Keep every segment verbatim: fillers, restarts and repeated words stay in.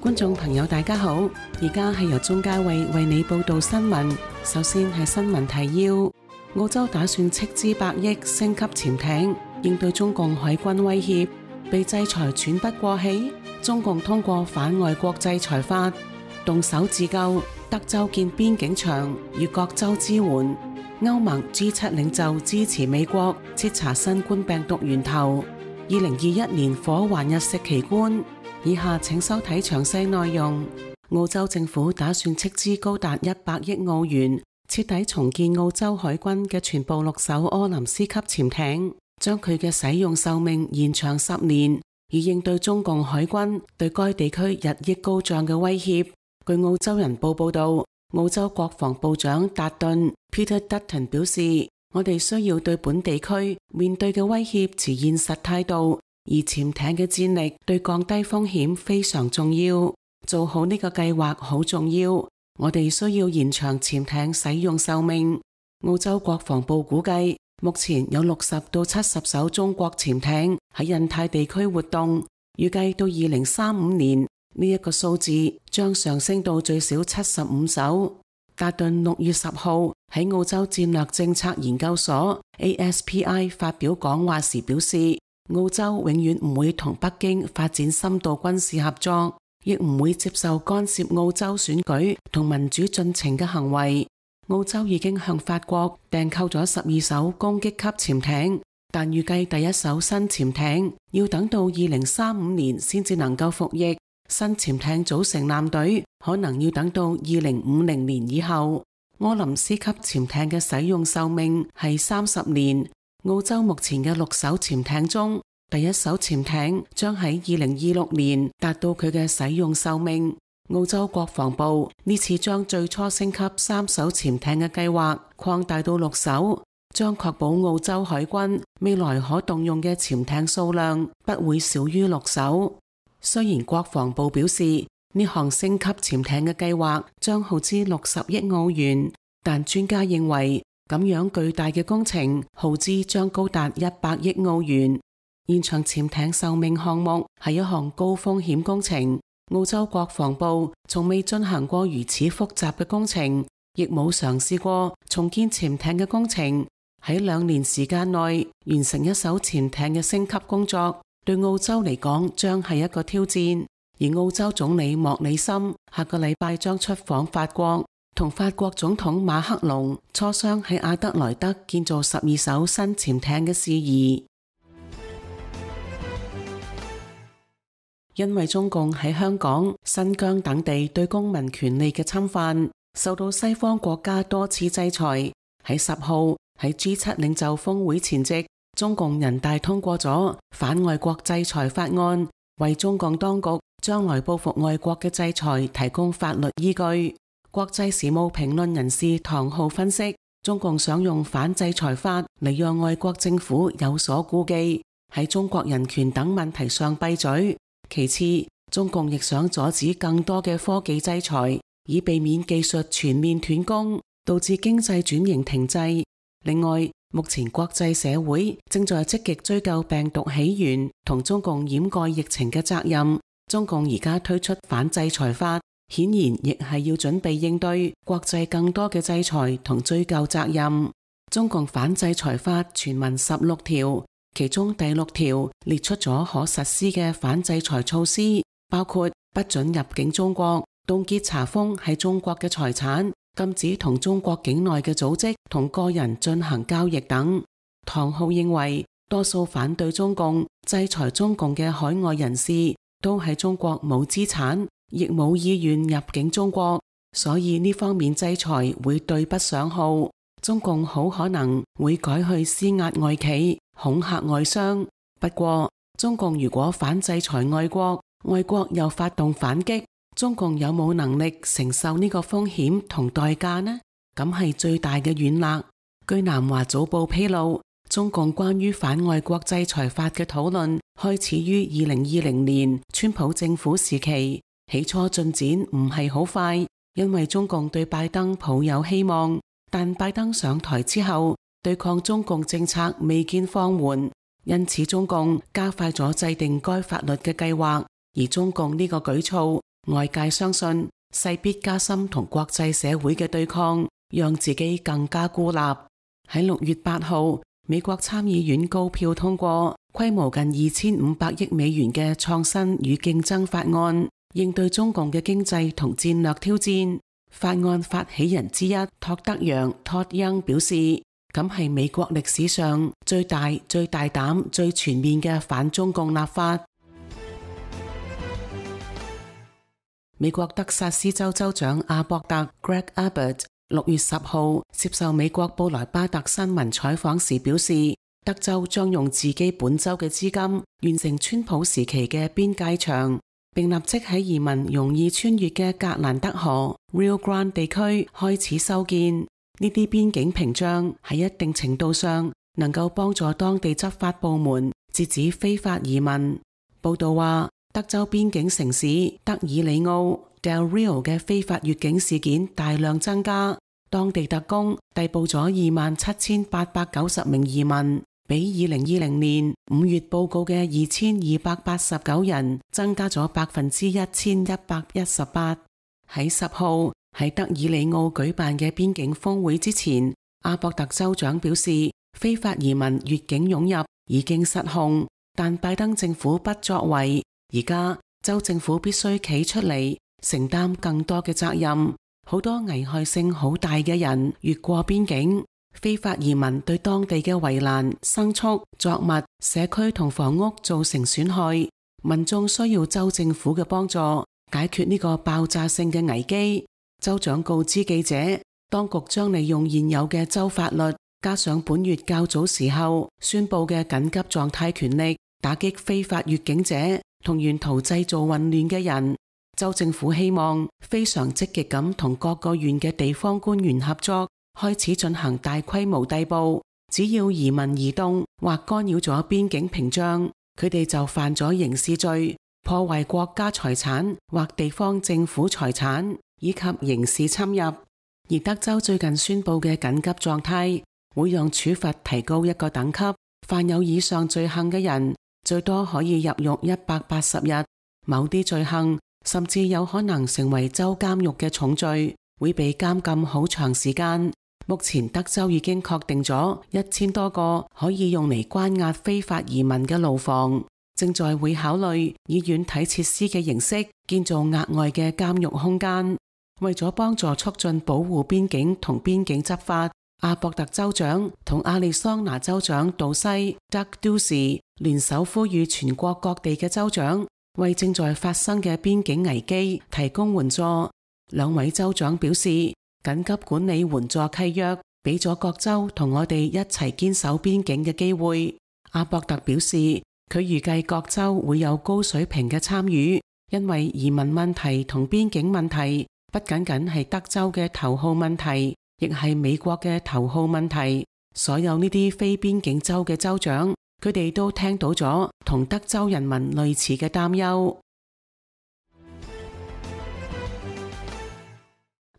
觀眾朋友大家好，而家係由鍾嘉慧為你報道新聞。首先係新聞提要：澳洲打算斥資百億升級潛艇，應對中共海軍威脅，被制裁喘不過氣。中共通過反外國制裁法，動手自救。德州建邊境牆，與各州支援。歐盟 G 七領袖支持美國徹查新冠病毒源頭。二零二一年火環日食奇觀。以下請收睇詳細內容。澳洲政府打算斥資高達一百億澳元，徹底重建澳洲海軍嘅全部六艘柯林斯級潛艇，將佢嘅使用壽命延長十年，以應對中共海軍對該地區日益高漲嘅威脅。據澳洲人報報道，澳洲國防部長達頓 Peter Dutton 表示，我哋需要對本地區面對嘅威脅持現實態度。而潛艇嘅戰力對降低風險非常重要，做好呢個計劃好重要。我哋需要延長潛艇使用壽命。澳洲國防部估計，目前有六十到七十艘中國潛艇喺印太地區活動，預計到二零三五年呢一個數字將上升到最少七十五艘。達頓六月十號喺澳洲戰略政策研究所 A S P I 發表講話時表示，澳洲永遠唔會同北京發展深度軍事合作，亦唔會接受干涉澳洲選舉同民主進程嘅行為。澳洲已經向法國訂購咗十二艘攻擊級潛艇，但預計第一艘新潛艇要等到二零三五年先至能夠服役。新潛艇組成艦隊可能要等到二零五零年以後。柯林斯級潛艇嘅使用壽命係三十年。澳洲目前嘅六艘潛艇中，第一艘潛艇將喺二零二六年達到佢嘅使用壽命。澳洲國防部呢次將最初升級三艘潛艇嘅計劃擴大到六艘，將確保澳洲海軍未來可動用嘅潛艇數量不會少於六艘。雖然國防部表示呢項升級潛艇嘅計劃將耗資六十億澳元，但專家認為咁樣巨大嘅工程耗資將高達一百億澳元。延長潛艇壽命項目係一項高風險工程，澳洲國防部從未進行過如此複雜嘅工程，亦冇嘗試過重建潛艇嘅工程。喺兩年時間內完成一艘潛艇嘅升級工作，對澳洲嚟講將係一個挑戰。而澳洲總理莫里森下個禮拜將出訪法國，同法國總統馬克龍磋商喺阿德萊德建造十二艘新潛艇嘅事宜。因為中共喺香港、新疆等地對公民權利嘅侵犯，受到西方國家多次制裁。喺十號喺 G 七領袖峰會前夕，中共人大通過咗反外國制裁法案，為中共當局將來報復外國嘅制裁提供法律依據。國際時務評論人士唐浩分析，中共想用反制裁法嚟讓外國政府有所顧忌，喺中國人權等問題上閉嘴。其次，中共亦想阻止更多嘅科技制裁，以避免技術全面斷供，導致經濟轉型停滯。另外，目前國際社會正在積極追究病毒起源同中共掩蓋疫情嘅責任。中共而家推出反制裁法，顯然亦係要準備應對國際更多嘅制裁同追究責任。中共反制裁法全文十六條，其中第六條列出咗可實施嘅反制裁措施，包括不准入境中國、凍結查封喺中國嘅財產、禁止同中國境內嘅組織同個人進行交易等。唐浩認為，多數反對中共、制裁中共嘅海外人士都喺中國冇資產，亦冇意願入境中國，所以呢方面制裁會對不上號。中共好可能會改去施壓外企、恐嚇外商。不過，中共如果反制裁外國，外國又發動反擊，中共有冇能力承受呢個風險同代價呢？咁係最大嘅軟肋。據南華早報披露，中共關於反外國制裁法嘅討論開始於二零二零年川普政府時期，起初進展唔係好快，因為中共對拜登抱有希望，但拜登上台之後，對抗中共政策未見放緩，因此中共加快咗制定該法律嘅計劃，而中共呢個舉措外界相信勢必加深同國際社會嘅對抗，讓自己更加孤立。喺六月八號，美國參議院高票通過規模近二千五百億美元嘅創新與競爭法案，應對中共嘅經濟同戰略挑戰。法案發起人之一托德楊 Todd Young 表示，咁係美國歷史上最大、最大膽、最全面嘅反中共立法。美國德薩斯州州長阿博特 Greg Abbott 六月十號接受美國布萊巴特新聞採訪時表示，德州將用自己本州嘅資金完成川普時期嘅邊界牆，並立即喺移民容易穿越嘅格蘭德河 Rio Grande 地區開始修建。呢啲邊境屏障喺一定程度上能夠幫助當地執法部門截止非法移民。報道話，德州邊境城市德爾里奧 Del Rio 嘅非法越境事件大量增加，當地特工逮捕咗二萬七千八百九十名移民，比二零二零年五月報告嘅二千二百八十九人增加咗百分之一千一百一十八。喺十號喺德爾里奧舉辦嘅邊境峰會之前，阿博特州長表示，非法移民越境湧入已經失控，但拜登政府不作為。而家州政府必須企出嚟承擔更多嘅責任，好多危害性好大嘅人越過邊境，非法移民對當地嘅圍欄、牲畜、作物、社區同房屋造成損害，民眾需要州政府嘅幫助解決呢個爆炸性嘅危機。州長告知記者，當局將利用現有嘅州法律，加上本月較早時候宣布嘅緊急狀態權力，打擊非法越境者同沿途製造混亂嘅人。州政府希望非常積極咁同各個縣嘅地方官員合作，開始進行大規模逮捕。只要移民移動或干擾咗邊境屏障，佢哋就犯咗刑事罪，破壞國家財產或地方政府財產，以及刑事侵入。而德州最近宣布嘅緊急狀態會讓處罰提高一個等級，犯有以上罪行嘅人最多可以入獄一百八十日，某啲罪行甚至有可能成為州監獄嘅重罪，會被監禁好長時間。目前德州已經確定咗一千多個可以用嚟關押非法移民嘅牢房，正在會考慮以軟體設施嘅形式建造額外嘅監獄空間。為咗幫助促進保護邊境同邊境執法，阿博特州長同亞利桑那州長杜西 Doug Ducey 聯手呼籲全國各地嘅州長為正在發生嘅邊境危機提供援助。兩位州長表示，緊急管理援助契約俾咗各州同我哋一齊堅守邊境嘅機會。阿博特表示，佢預計各州會有高水平嘅參與，因為移民問題同邊境問題不僅僅係德州嘅頭號問題，亦係美國嘅頭號問題。所有呢啲非邊境州嘅州長，佢哋都聽到咗同德州人民類似嘅擔憂。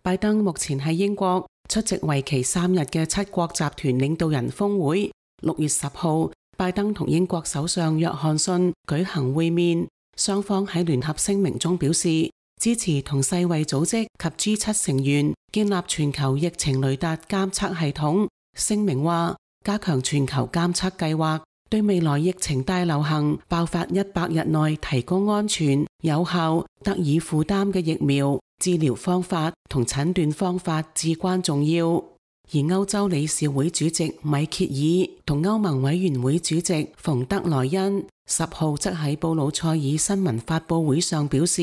拜登目前喺英國出席為期三日嘅七國集團領導人峰會。六月十號，拜登同英國首相約翰遜舉行會面，雙方喺聯合聲明中表示，支持同世衛組織及 G 七 成員建立全球疫情雷達監測系統。聲明話，加強全球監測計劃，對未來疫情大流行爆發一百日內提供安全、有效、得以負擔嘅疫苗、治療方法同診斷方法至關重要。而歐洲理事會主席米歇爾同歐盟委員會主席馮德萊恩十號則喺布魯塞爾新聞發佈會上表示，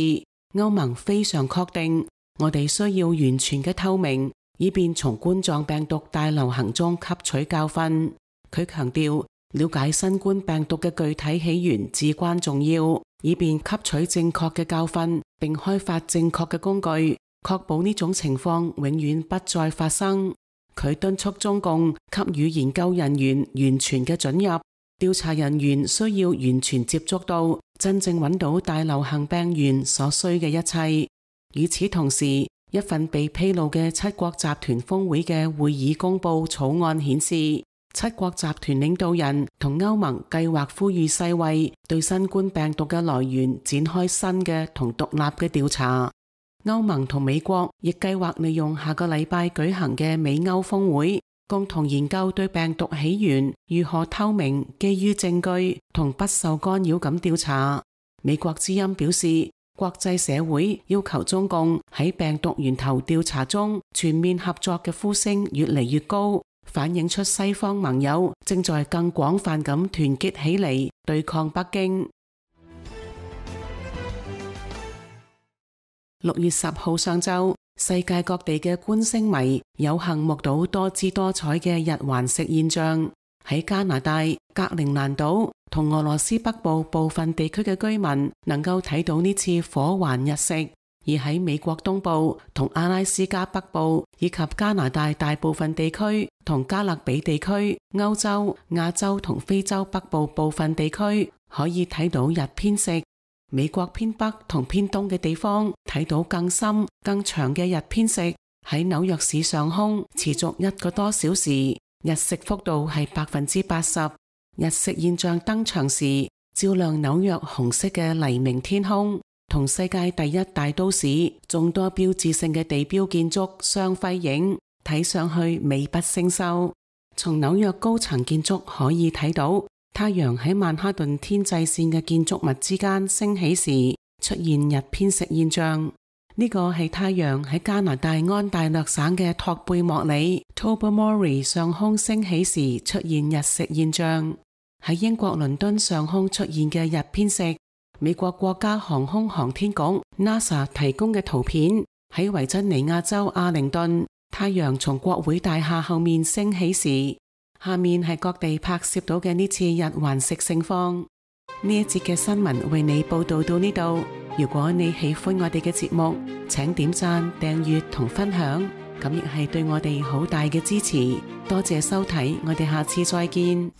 歐盟非常確定，我哋需要完全嘅透明，以便從冠狀病毒大流行中吸取教訓。佢強調，了解新冠病毒嘅具體起源至關重要，以便吸取正確嘅教訓，並開發正確嘅工具，確保呢種情況永遠不再發生。佢敦促中共給予研究人員完全嘅准入，調查人員需要完全接觸到真正揾到大流行病源所需嘅一切。與此同時，一份被披露嘅七國集團峰會嘅會議公報草案顯示，七國集團領導人同歐盟計劃呼籲世衛對新冠病毒嘅來源展開新嘅同獨立嘅調查。歐盟同美國亦計劃利用下個禮拜舉行嘅美歐峰會，共同研究對病毒起源如何透明、基於證據同不受干擾咁調查。美國之音表示，國際社會要求中共喺病毒源頭調查中全面合作嘅呼聲越嚟越高，反映出西方盟友正在更廣泛咁團結起嚟對抗北京。六月十號上晝，世界各地嘅觀星迷有幸目睹多姿多彩嘅日環食現象。喺加拿大格陵蘭島同俄羅斯北部部分地區嘅居民能夠睇到呢次火環日食，而喺美國東部同阿拉斯加北部以及加拿大大部分地區同加勒比地區、歐洲、亞洲同非洲北部部分地區可以睇到日偏食。美國偏北同偏東嘅地方睇到更深、更長嘅日偏食。喺紐約市上空持續一個多小時，日食幅度係百分之八十。日食現象登場時，照亮紐約紅色嘅黎明天空，同世界第一大都市眾多標誌性嘅地標建築相輝映，睇上去美不勝收。從紐約高層建築可以睇到，太陽喺曼哈頓天際線嘅建築物之間升起時，出現日偏食現象。呢個係太陽喺加拿大安大略省嘅托貝莫里 Tobermory 上空升起時出現日食現象。喺英國倫敦上空出現嘅日偏食，美國國家航空航天局 NASA 提供嘅圖片，喺維珍尼亞州阿靈頓，太陽從國會大廈後面升起時，下面係各地拍攝到嘅呢次日環食盛況。呢一節嘅新聞為你報道到呢度。如果你喜歡我哋嘅節目，請點讚、訂閱同分享，咁亦係對我哋好大嘅支持。多謝收睇，我哋下次再見。